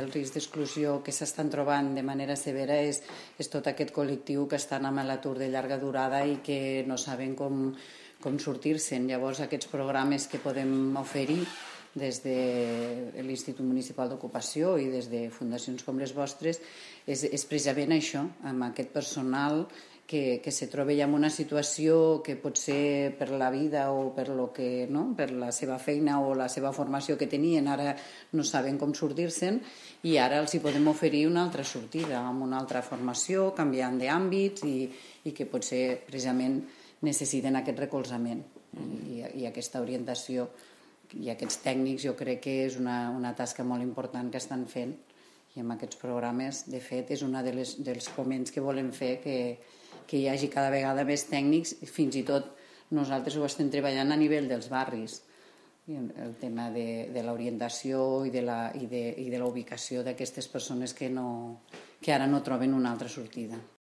El risc d'exclusió que s'estan trobant de manera severa és tot aquest col·lectiu que estan amb l'atur de llarga durada i que no saben com sortir-se'n. Llavors, aquests programes que podem oferir des de l'Institut Municipal d'Ocupació i des de fundacions com les vostres és precisament això, amb aquest personal que se troba ja en una situació que pot ser per la vida o per la seva feina o la seva formació que tenien, ara no saben com sortir-se'n i ara els hi podem oferir una altra sortida amb una altra formació, canviant d'àmbits i que potser precisament necessiten aquest recolzament i aquesta orientació. I aquests tècnics jo crec que és una tasca molt important que estan fent i amb aquests programes, de fet, és un dels foments que volem fer que hi hagi cada vegada més tècnics, fins i tot nosaltres ho estem treballant a nivell dels barris, el tema de l'orientació i de la ubicació d'aquestes persones que ara no troben una altra sortida.